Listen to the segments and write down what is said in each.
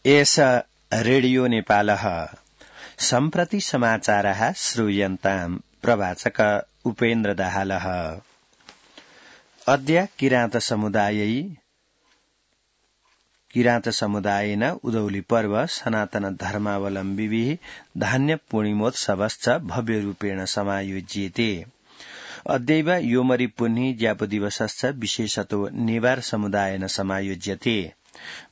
एष रेडियो नेपालः सम्प्रति समाचारः श्रूयन्ताम् प्रवाचक उपेन्द्र दाहालः। अद्य किराँत समुदायेन उदौली पर्व सनातन धर्मावलम्बिभिः धान्य पूर्णिमोत्सवश्च भव्यरूपेण समायोज्यते। अद्यैव योमरि पुन्नी ज्यापदिवसश्च विशेषतो नेवार समुदायेन समायोज्यते।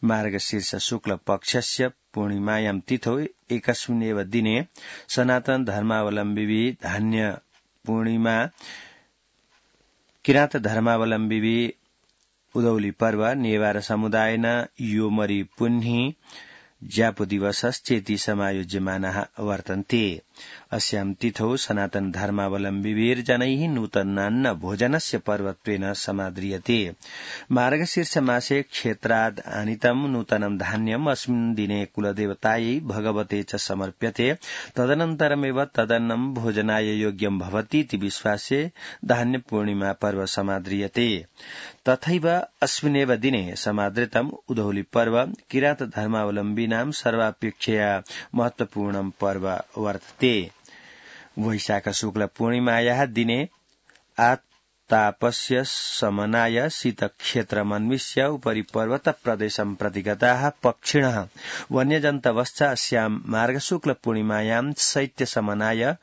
मार्गशीर्ष शुक्ल पक्षस्य पूर्णिमायां तिथौ एकस्मिन्नेव दिने सनातन धर्मावलम्बिभिः धान्य पूर्णिमा किराँत धर्मावलम्बिभिः उदौली पर्व नेवार समुदायेन योमरि पुन्नी ज्यापुदिवसश्चेति समायोज्यमानाः वर्तन्ते। अस्यां तिथौ सनातन धर्मावलम्बिभिर्जनैः नूतनान्न भोजनस्य पर्वत्वेन समाद्रियते। मार्गशीर्ष मासे क्षेत्राद् आनीतं नूतनं धान्यम् अस्मिन् दिने कुलदेवतायै भगवते च समर्प्यते। तदनन्तरमेव तदन्नं भोजनाय योग्यं भवतीति विश्वासे धान्य पूर्णिमा पर्व समाद्रियते। तथैव अस्मिन्नेव दिने समादृतम् उदौली पर्व किराँत धर्मावलम्बिनां सर्वापेक्षया महत्वपूर्णं पर्व वर्तते। वैशाख शुक्ल पूर्णिमायाः दिने आतापस्य शमनाय शीतक्षेत्रमन्विष्य उपरि पर्वत प्रदेशं प्रति गताः पक्षिणः वन्यजन्तवश्च अस्यां मार्गशुक्ल पूर्णिमायां शैत्यशमनाय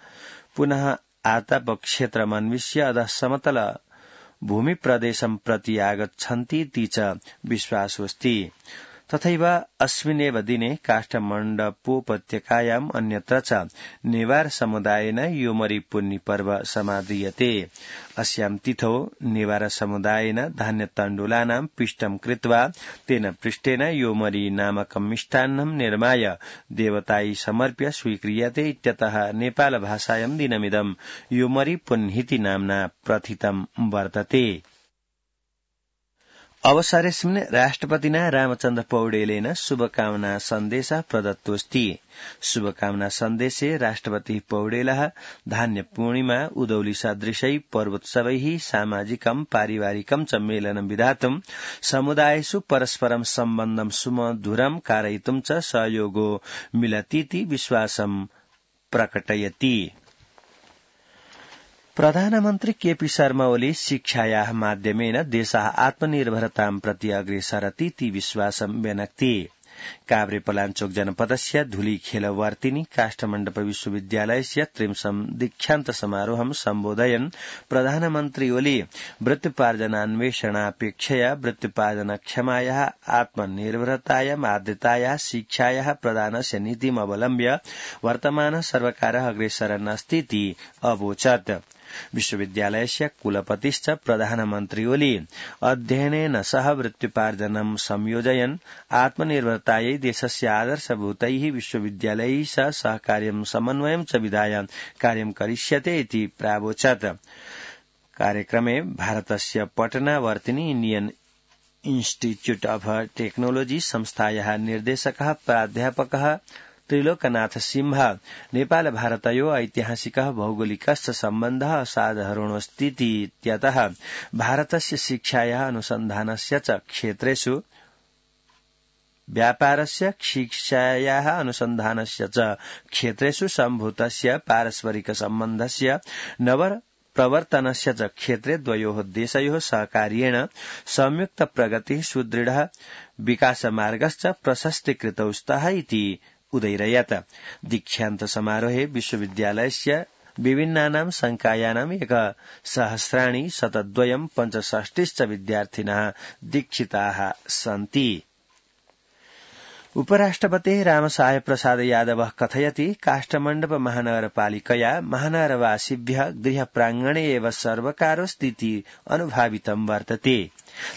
पुनः आतापक्षेत्रमन्विष्य अधः समतल भूमि प्रदेशं प्रति आगच्छन्तीति च विश्वासोऽस्ति। तथैव अस्मिन्नेव दिने काष्ठमण्डपोपत्यकायाम् अन्यत्र च नेवार समुदायेन योमरि पुन्नी पर्व समाद्रियते। अस्यां तिथौ नेवार समुदायेन धान्यतण्डुलानां पिष्टं कृत्वा तेन पृष्ठेन योमरि नामकं मिष्टान्नं निर्माय देवतायै समर्प्य स्वीक्रियते इत्यतः नेपाल भाषायां दिनमिदं योमरि पुन्नीति नाम्ना प्रथितं वर्तते। अवसरेऽस्मिन् राष्ट्रपतिना रामचन्द्र पौडेलेन शुभकामना सन्देशः प्रदत्तोऽस्ति। शुभकामना सन्देशे राष्ट्रपतिः पौडेलः धान्य पूर्णिमा उदौली सदृशै पर्वोत्सवैः सामाजिकं पारिवारिकं च मेलनं विधातुं समुदायेषु परस्परं सम्बन्धं सुमधुरं कारयितुं च सहयोगो मिलतीति विश्वासं प्रकटयति। प्रधानमन्त्री केपी शर्मा ओली शिक्षायाः माध्यमेन देशः आत्मनिर्भरतां प्रति अग्रेसरतीति विश्वासं व्यनक्ति। काभ्रेपलाञ्चोक जनपदस्य धुलीखेलवर्तिनी काष्ठमण्डप विश्वविद्यालयस्य 30 दीक्षान्त समारोहं सम्बोधयन् प्रधानमन्त्री ओली वृत्त्युपार्जनान्वेषणापेक्षया वृत्त्युपार्जनक्षमायाः आत्मनिर्भरतायाम् आद्यतायाः शिक्षायाः प्रदानस्य नीतिम् अवलम्ब्य वर्तमान सर्वकारः अग्रेसरन् अस्तीति अवोचत्। विश्वविद्यालयस्य कुलपतिश्च प्रधानमन्त्री ओली अध्ययनेन सह वृत्त्युपार्जनं संयोजयन् आत्मनिर्भरतायै देशस्य आदर्शभूतैः विश्वविद्यालयैः सह सहकार्यं समन्वयं च विधाय कार्यं करिष्यते इति प्रावोचत्। कार्यक्रमे भारतस्य पटनावर्तिनी इण्डियन इन्स्टिट्यूट ऑफ टेक्नोलॉजी संस्थायाः निर्देशकः प्राध्यापकः त्रिलोकनाथ सिंह नेपाल भारतयोः ऐतिहासिकः भौगोलिकश्च सम्बन्धः असाधारणोऽस्तीति इत्यतः भारतस्य शिक्षायाः अनुसन्धानस्य च क्षेत्रेषु व्यापारस्य शिक्षायाः अनुसन्धानस्य च क्षेत्रेषु सम्भूतस्य पारस्परिक सम्बन्धस्य नवप्रवर्तनस्य च क्षेत्रे द्वयोः देशयोः सहकार्येण संयुक्त प्रगतिः सुदृढः विकासमार्गश्च प्रशस्तीकृतौ स्तः इति उदैरयत्। दीक्षान्त समारोहे विश्वविद्यालयस्य विभिन्नानां संकायानाम् 1,000,102 विद्यार्थिनः दीक्षिताः सन्ति। उपराष्ट्रपतिः रामसाय प्रसाद यादवः कथयति काष्ठमण्डप महानगरपालिकया महानगरवासिभ्यः गृहप्राङ्गणे एव सर्वकारस्थिति अनुभावितं वर्तते।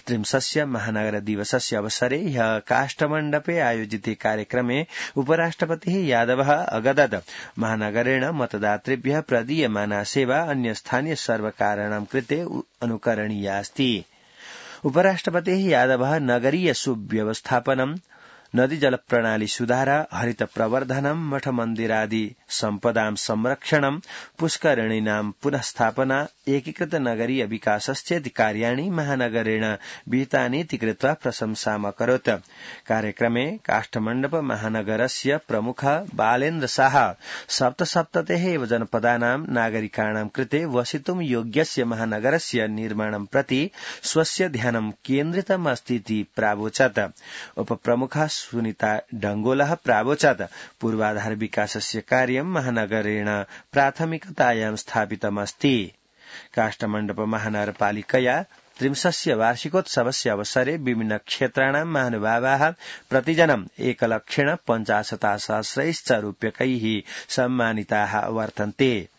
30 महानगर दिवसस्य अवसरे ह्यः काष्ठमण्डपे आयोजिते कार्यक्रमे उपराष्ट्रपतिः यादवः अगदत् महानगरेण मतदातृभ्यः प्रदीयमाना सेवा अन्य स्थानीय सर्वकाराणां कृते अनुकरणीया अस्ति। उपराष्ट्रपतिः यादवः नगरीय सुव्यवस्थापनं नदी जल प्रणाली सुधार हरित प्रवर्धनम मठ मन्दिरादि सम्पदां संरक्षणम पुष्करिणीनां पुनःस्थापना एकीकृत नगरीय विकासश्चेति कार्याणि महानगरेण विहितानीति कृत्वा प्रशंसामकरोत्। कार्यक्रमे काष्ठमण्डप महानगरस्य प्रमुख बालेन्द्र शाह सप्तसप्ततेः एव जनपदानां नागरिकाणां कृते वसितुं योग्यस्य महानगरस्य निर्माणं प्रति स्वस्य ध्यानं केन्द्रितम् अस्तीति प्रावोचत्। उपप्रमुखः सुनीता डंगोलः प्रावोचत् पूर्वाधार विकासस्य कार्यं महानगरेण प्राथमिकतायां स्थापितमस्ति। काष्ठमण्डप महानगरपालिकया 30 वार्षिकोत्सवस्य अवसरे विभिन्न क्षेत्राणां महानुभावाः प्रतिजनम् 1,50,000 रूप्यकैः सम्मानिताः वर्तन्ते।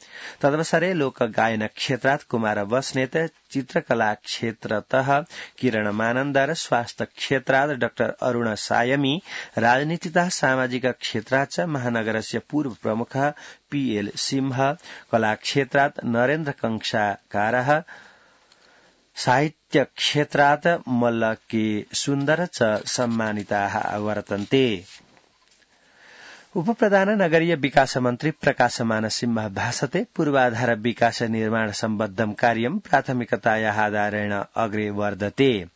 तदवसरे लोकगायन क्षेत्रात् कुमार बस्नेत, चित्रकला क्षेत्रतः किरण मानन्दर, स्वास्थ्य क्षेत्रात् डाक्टर अरुण सायमी, राजनीतितः सामाजिक क्षेत्रात् च महानगरस्य पूर्व प्रमुखः पीएल सिंह, कला क्षेत्रात् नरेन्द्र कंसाकारः, साहित्य क्षेत्रात् मल्ल के सुन्दर च सम्मानिताः वर्तन्ते। उपप्रधान नगरीय विकास मन्त्री प्रकाश मानसिंह भाषते पूर्वाधार विकास निर्माण सम्बद्धं कार्यं प्राथमिकतायाः आधारेण अग्रे वर्धते।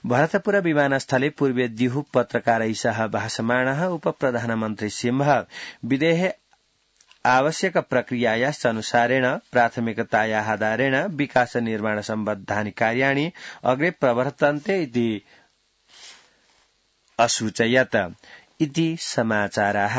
भरतपुर विमानस्थले पूर्वे दिहु पत्रकारैः सह भाषमाणः उपप्रधानमन्त्री सिंह विदेहे आवश्यक प्रक्रियायाश्च अनुसारेण प्राथमिकतायाः आधारेण विकास निर्माण सम्बद्धानि कार्याणि अग्रे प्रवर्तन्ते इति असूचयत्। इति समाचाराः।